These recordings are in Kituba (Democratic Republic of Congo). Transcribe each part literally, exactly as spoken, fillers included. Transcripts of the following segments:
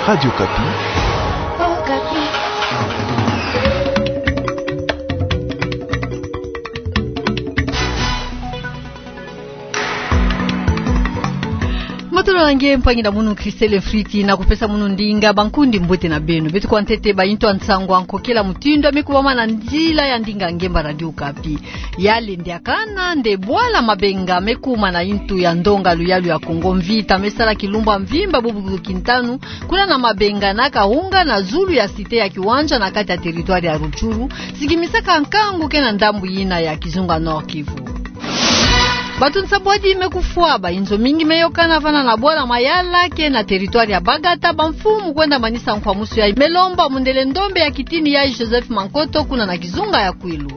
Radio Okapi. Matondo na nge mpangi na munu Christelle Friti, na kupesa munu ndinga. Bankundi, mbote na beno. Beto kwa ntete bainto ya nsangu ya nkokela mutindu ya me kubama na nzila ya ndinga ngemba Radio Okapi. Ya lendi ya kane nde bwala Mabenga me kuma na intu ya ndonga luyalu ya Kongo. Mvita me sala kilumbu ya mvimba bubu kintanu kuna na Mabenga na Kaunga na zulu ya cité ya Kiwanja na kati ya territoire ya Rutshuru, sikimisaka nkangu ke na ndambu yina ya kizunga Nord-Kivu. Bantu nsambwadi me kufwa, bayinzo mingi me yokana vana na bwala Mayala ke na territoire ya Bagata. Bamfumu kwenda manisa nkwamusu yayi me lomba mundele ndombe ya kitini yayi Joseph Mankoto kuna na kizunga ya Kwilu.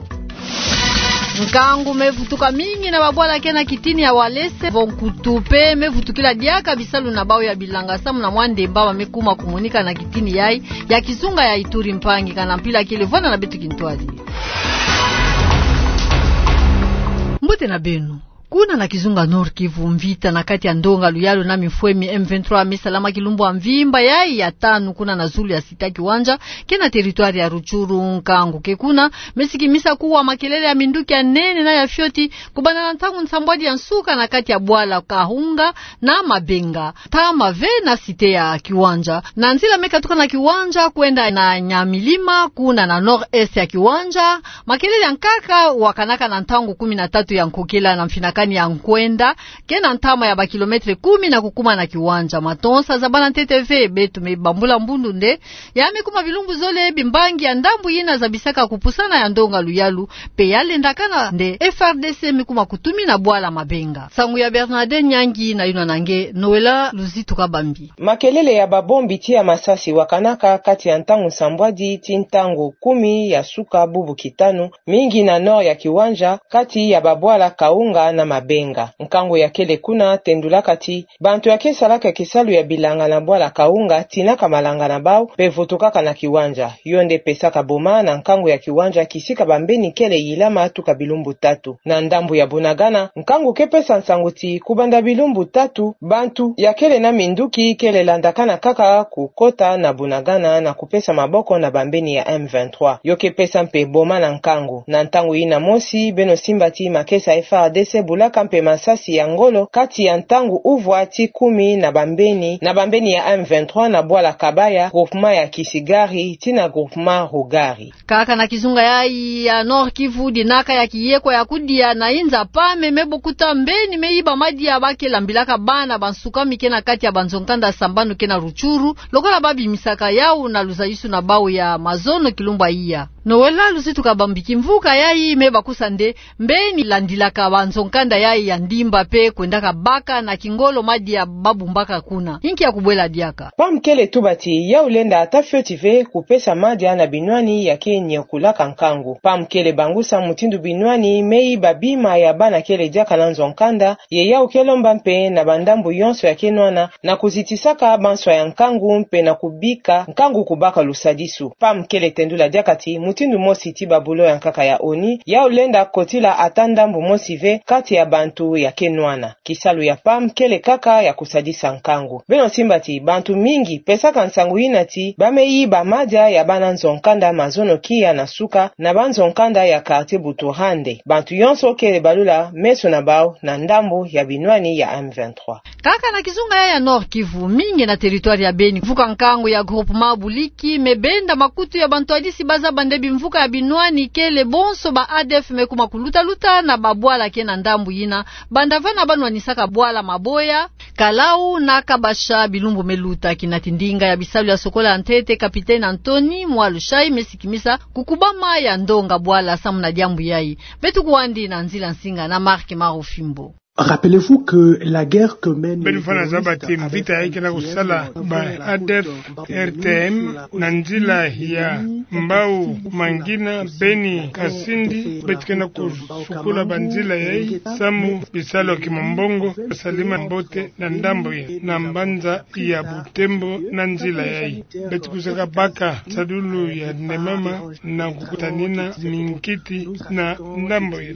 Nkangu me vutuka mingi na babwala ke na kitini ya Walese, vo nkutu pe me vutukila diaka bisalu na bawu ya bilanga samu na mwa ndemba ba me kuma kumonika na kitini yayi ya kizunga ya Ituri. Mpangi, ka na mpila kele, vwanda na beto kintwadi. Mbote na beno. Kuna na kizunga Nord-Kivu, mvita na kati ya ndonga luyalu na mifwemi M vingt-trois me salama kilumbu ya mvimba yayi ya tanu kuna na zulu ya cité ya Kiwanja ke na territoire ya Rutshuru. Nkangu ke kuna me sikimisa kuwa makelele ya minduki ya nene na ya fioti, kubanda na ntangu nsambwadi ya nsuka na kati ya bwala Kaunga na Mabenga, ntama ve na cité ya Kiwanja. Na nzila me katuka na Kiwanja kwenda na Nyamilima, kuna na nord-est ya Kiwanja, makelele ya nkaka wakanaka na ntangu kumi na tatu ya nkokela na mfinakani ya nkwenda ke na ntama ya ba kilomètre kumi na kukuma na Kiwanja. Matonsa zabana ntete ve, beto me bambula mbundu nde ya me kuma bilumbu zole bimbangi ya ndambu yina zabisaka kupusana ya ndonga luyalu, pe ya lenda ya kane nde F R D C me kuma kutumina bwala Mabenga. Nsangu ya Bernadette Nyangi na yuna na nge Noëlla Luzitu Kabambi. Makelele ya babombi ti ya masasi wakanaka kati ya ntangu nsambwadi ti ntangu kumi ya suka bubu kitanu, mingi na nord ya Kiwanja, kati ya babwala Kaunga na Mabenga. Nkangu ya kele kuna tendulaka ti bantu ya ke salaka kisalu ya bilanga na bwala Kaunga tinaka malanga na bawu pe vutukaka na Kiwanja. Yo nde pesaka boma na nkangu ya Kiwanja kisika bambeni kele yilama tuka bilumbu tatu. Na ndambu ya Bunagana, nkangu ke pesa nsangu ti kubanda bilumbu tatu, bantu ya kele na minduki kele landakana kaka kukota na Bunagana na kupesa maboko na bambeni ya M vingt-trois. Yo ke pesa mpe boma na nkangu. Na ntangu yina mosi, beno simba ti makesa F R D C bulaka mpe masasi ya ngolo kati ya ntangu uvwa ti kumi na bambeni, na bambeni ya M vingt-trois na bwala Kabaya, groupement ya Kisigari, tii na groupement Rugari. Kaka na kizunga yayi ya Nord-Kivu, dinaka ya kiyeko ya kudia na inza pame me bokuta mbeni me yiba madia ba ke lambilaka bana bansukami ke na kati ya banzo-nkanda sambanu ke na Rutshuru, lokola ba bimisaka yawu na luzayusu na bawu ya mazono kilumbu ya iya. Noëlla Luzitu Kabambi, kimvuka yayi me bakusa nde mbeni landilaka banzo-nkanda yayi ya ndimba pe kwendaka baka na kingolo madia ba bumbaka kuna. Inki ya kubwela diaka? Pam kele tuba ti yawu lenda ata fioti ve kupesa madia na binwani ya ke nyokulaka nkangu. Pam kele bangusa mutindu binwani me yiba bima ya bana kele diaka na nzo-nkanda, ye yawu ke lomba mpe na bandambu yonso ya ke nwana na kuzitisaka banswa ya nkangu mpe na kubika nkangu kubaka lusadisu. Pam kele tendula diaka ti mutindu mosi ti ba bulo ya nkaka ya ONU, yawu lenda kotila ata ndambu mosi ve kati ya bantu ya ke nwana. Kisalu ya pam kele kaka ya kusadisa nkangu. Beno simba ti bantu mingi pesaka nsangu yina ti ba me yiba madia ya bana nzo-nkanda mazono kia na suka na banzo-nkanda ya quartier Buturande. Bantu yonso kele balula meso na bawu na ndambu ya binwani ya M vingt-trois. Kaka na kizunga yayi ya Nord-Kivu, mingi na territoire ya Beni, mvuka nkangu ya groupement Buliki me benda makutu ya bantwadisi ba zaba nde bimvuka ya binwani kele bonso ba A D F me kuma kuluta-luta na babwala ke na ndambu yina, banda vana ba nwanisaka bwala Maboya, Kalau na Kabasha bilumbu me luta. Kinati ndinga ya bisalu ya sokola ya ntete, Capitaine Anthony Mwalushai, me sikimisa kukubama ya ndonga bwala samu na diambu yayi. Beto kwandi na nzila nsinga na Marc Marufimbo. Rappelez-vous que la guerre que mène... Beno fana zaba ti mvita yayi ke na kusala ba A D F R T M na nzila ya Mbau, Mangina, Beni, Kasindi, beto ke na kusukula banzila yayi samu bisalu ya kimumbongo, Salima Mbote na ndambu ya, na mbanza ya Butembo na nzila yayi. Beto kusaka baka nsadulu ya nde mama na kukutanina minkiti na ndambu ya.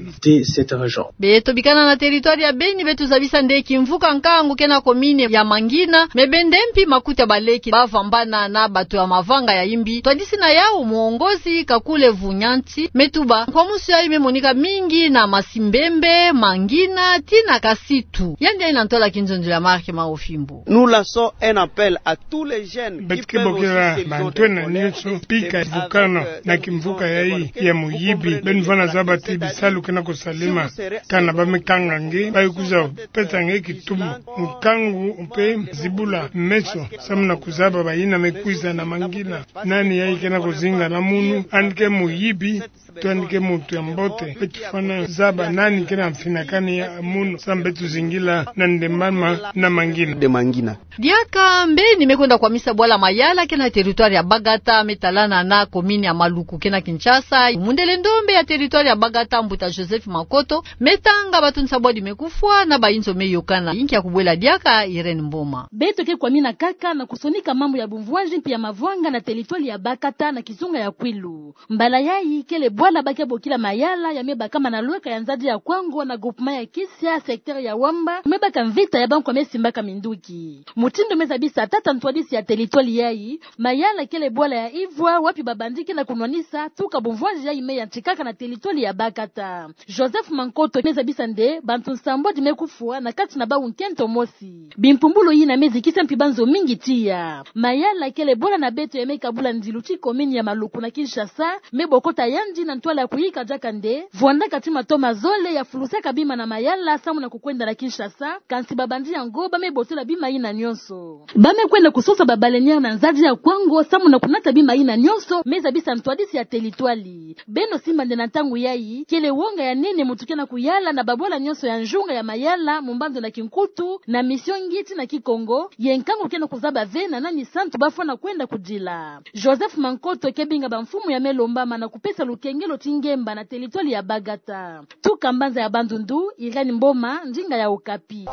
Beto bikana na territoire Beni beto zabisa nde kimvuka nkangu ke na komini ya Mangina, me bende mpi makuta baleki bavambana na bato ya mavanga ya imbi. Twadisi na yau muongozi Kakule Vunyanti, me tuba nkwamusu yayi me monika mingi na Masimbembe, Mangina, tii na Kasitu. Yandi yayi na ntwala kinzonzolo ya Marc Maofimbo. Nous lançons un appel à tous les jeunes. Beto ke bokela bantu ena nyonso mpika ya vukana na kimvuka yayi ya muyibi. Beno vana zaba ti bisalu ke na kosalema. Kana ba me kanga nge, ba ye kwiza pesa nge kitumu, nkangu mpe zibula meso, samu na kuzaba bayina me kwiza na Mangina. Nani yayi ke na kuzinga na munu? Yandi ke muyibi, to yandi ke muntu ya mbote? Beto fwana zaba nani ke na mfinakani ya munu, samu beto zingila na ndembama na Mangina. De Mangina. Diaka mbeni me kwenda kwamisa bwala Mayala ke na territoire ya Bagata, me talana na komini ya Maluku ke na Kinshasa. Mundele ndombe ya territoire ya Bagata, mbuta Joseph Makoto, me tanga bato nsambwadi me kufwa na bayinzo me yokana. Yinki ya kubwela diaka, Irène Mboma. Beto ke kwamina kaka na kusonika mambu ya bumvwazi mpi ya mavanga na territoire ya Bagata na kizunga ya Kwilu. Mbala yayi kele bwala ba ke bokila Mayala, ya me bakama na lweka ya nzadi ya Kwango na groupement ya Kisia, secteur ya Wamba, me baka mvita ya bankwa me simbaka minduki. Mutindu me zabisa tata ntwadisi ya territoire yayi, Mayala kele bwala ya ivwa wapi ba bandits ke na kunwanisa tuka bumvwazi yayi me yantikaka na territoire ya Bagata. Joseph Mankoto me zabisa nde bantu nsambwadi me kufwa, na kati na bau nkento mosi. Bimpumbulu yina me zikisa mpi banzo mingi tiya. Mayala kele bwala na beto ya me kabula ndilu ti komini ya Maluku na Kinshasa, me bokota yandi na ntwala ya kuyika diaka nde vwandaka ti matoma zole ya fulusaka bima na Mayala samu na kukwenda na Kinshasa, kansi ba bandits yango ba me botola bima yina nyonso. Ba me kwenda kusosa ba baleinières na nzadi ya Kwango samu na kunata bima yina nyonso, me zabisa ntwadisi ya territoire. Beno simba nde na ntangu yayi, kele wonga ya nene muntu ke na kuyala na babwala nyonso ya nzunga ya Mayala, Mumbandu na Kinkutu, na Mission Ngiti na Kikongo, ye nkangu ke na kuzaba ve na nani santu ba fwana kwenda kudila. Joseph Mankoto ke binga bamfumu ya me lombama na kupesa lukengelo ti ngemba na territoire ya Bagata. Tuka mbanza ya Bandundu, Irène Mboma, ndinga ya Okapi.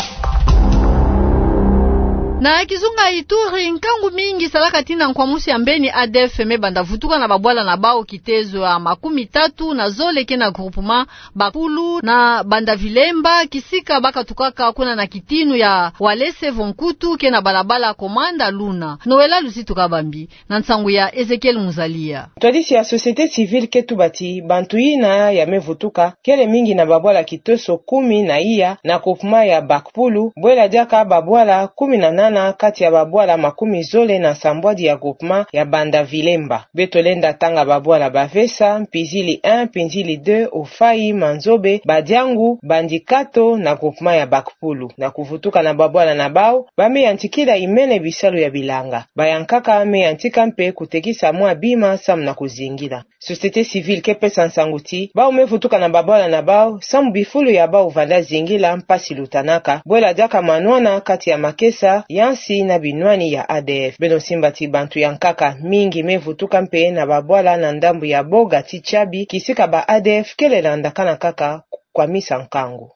Na kizunga Ituri, nkangu mingi salaka tii na nkwamusu ya mbeni A D F me banda vutuka na babwala na bau kitezo ya makumi tatu na zole ke na groupement Bakulu na Banda Vilemba, kisika ba katukaka kuna na kitinu ya Walese vo Nkutu ke na balabala Komanda Luna. Noëlla Luzitu Kabambi, na nsangu ya Ezekiel Muzalia. Ntwadisi ya société civile ke tuba ti bantu yina ya me vutuka kele mingi na babwala kitoso kumi na iya na groupement ya Bakpulu, bwela diaka babwala kumi na nana kati ya babwala makumi zole na nsambwadi ya groupement ya Banda Vilemba. Beto lenda tanga babwala Bavesa, Mpizili un, Mpizili deux, Ofayi, Manzobe, Badiangu, Bandikato na groupement ya Bakpulu. Na kuvutuka na babwala na bau, ba me yantikila imene bisalu ya bilanga. Bayankaka me yantika mpe kutekisa mwa bima samu na kuzingila. Société civile ke pesa nsangu ti bau me vutuka na babwala na bau samu bifulu ya bau vanda zingila mpasi lutanaka, bwela diaka manwana kati ya makesa ya nsi na binwani ya A D F. Beno simba ti bantu ya nkaka mingi me vutuka mpe na babwala na ndambu ya Boga ti Tiabi, kisika ba A D F kele landakana kaka kwamisa nkangu.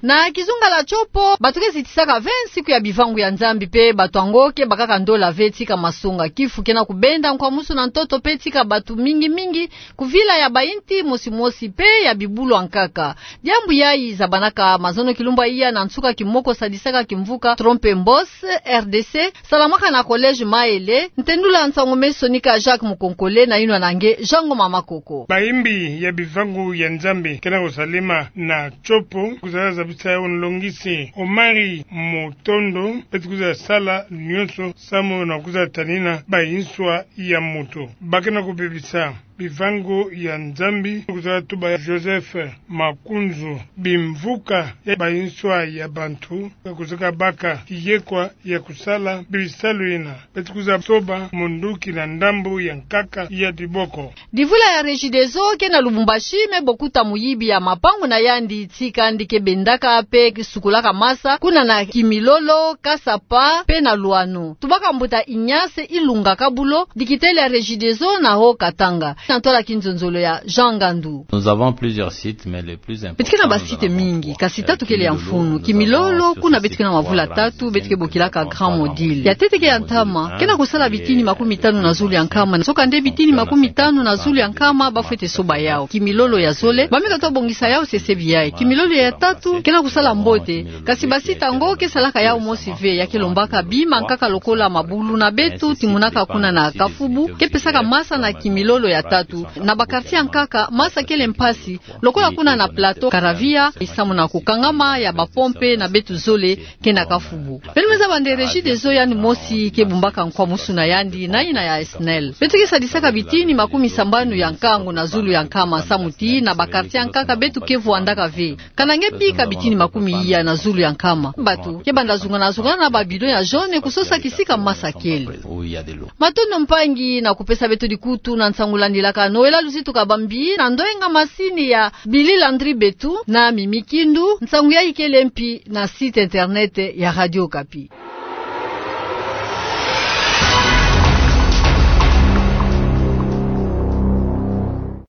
Na kizunga la Tshopo, bato ke zitisaka ve nsiku ya bivangu ya Nzambi mpe bato yango ke bakaka ndola ve tika masonga. Kifu ke na kubenda nkwamusu na ntoto mpe tika bato mingi mingi kuvila ya bainti mosi mosi mpe ya bibulu ya nkaka. Diambu yayi zabanaka mazono kilumbu ya iya na nsuka kimoko sadisaka kimvuka Trompe-l'Œil, R D C, salamaka na collège Maele. Ntendula nsangu me sonika Jacques Mukonkole na yinwa na nge Jean Ngoma Makoko. Bayimbi ya bivangu ya Nzambi ke na kusalema na Tshopo, kwiza zabisa yo nlongisi Omari Mutondo, beto kwiza sala nyonso samu na kwiza tanina bainswa ya moto. Ba ke na kubebisa bivangu ya Nzambi, kwiza tuba Joseph Makunzu, bimvuka ya bainswa ya bantu, kwiza baka yekwa ya kusala bisalu yina. Beto kwiza soba munduki na ndambu ya nkaka ya diboko. Divula ya Regideso ke na Lubumbashi me bokuta muyibi ya mapangu na yandi tika yandi ke bendaka mpe sukulaka masa kuna na Kimilolo, Kasapa mpe na Luano. Tubaka mbuta Ignace Ilunga Kabulo, dikitele ya Regideso na Haut-Katanga. na ntwala kinzonzolo ya Jean Ngandu. Nous avons plusieurs sites, mais le plus important, beto ke na ba site mingi, kasi tatu kele ya mfunu. Kimilolo, kuna beto ke na mavula tatu beto ke bokilaka Grand Module. Ya ntete ke ya ntama, ke na kusala bitini makumi tanu na zulu ya nkama, soka nde bitini makumi tanu na zulu ya nkama ba fwete soba yau. Kimilolo ya zole, ba meka tobongisa yau sesebi yayi. Kimilolo ya tatu ke na kusala mbote, kasi ba site yango ke salaka yau mosi ve, ya ke lombaka bima nkaka lokola mabulu na beto timonaka kuna na Kafubu, ke pesaka masa na kimilolo ya tatu. Na ba quartier ya nkaka, masa kele mpasi, lokola kuna na Plateau, Karavia, samu na kukangama ya ba pompe na beto zole ke na Kafubu. Beno me zaba nde Regideso yandi mosi ke bumbaka nkwa musu na yandi, na ina ya SNEL. Beto ke sadisaka bitini makumi sambanu ya nkangu na zulu ya nkama, samu ti na ba quartier ya nkaka beto ke vwandaka ve. Kana nge bika bitini makumi iya na zulu ya nkama. Bato ke banda zungana zungana na ba bidon ya jaune kusosa kisika masa kele. Matondo mpangi na kupesa beto dikutu na nsangu landilaka. Noëlla Luzitu Kabambi na ndwenga masini ya Billy Landry Betu na Mimi Kindu. Nsangu yayi kele mpi na site internet ya Radio Okapi.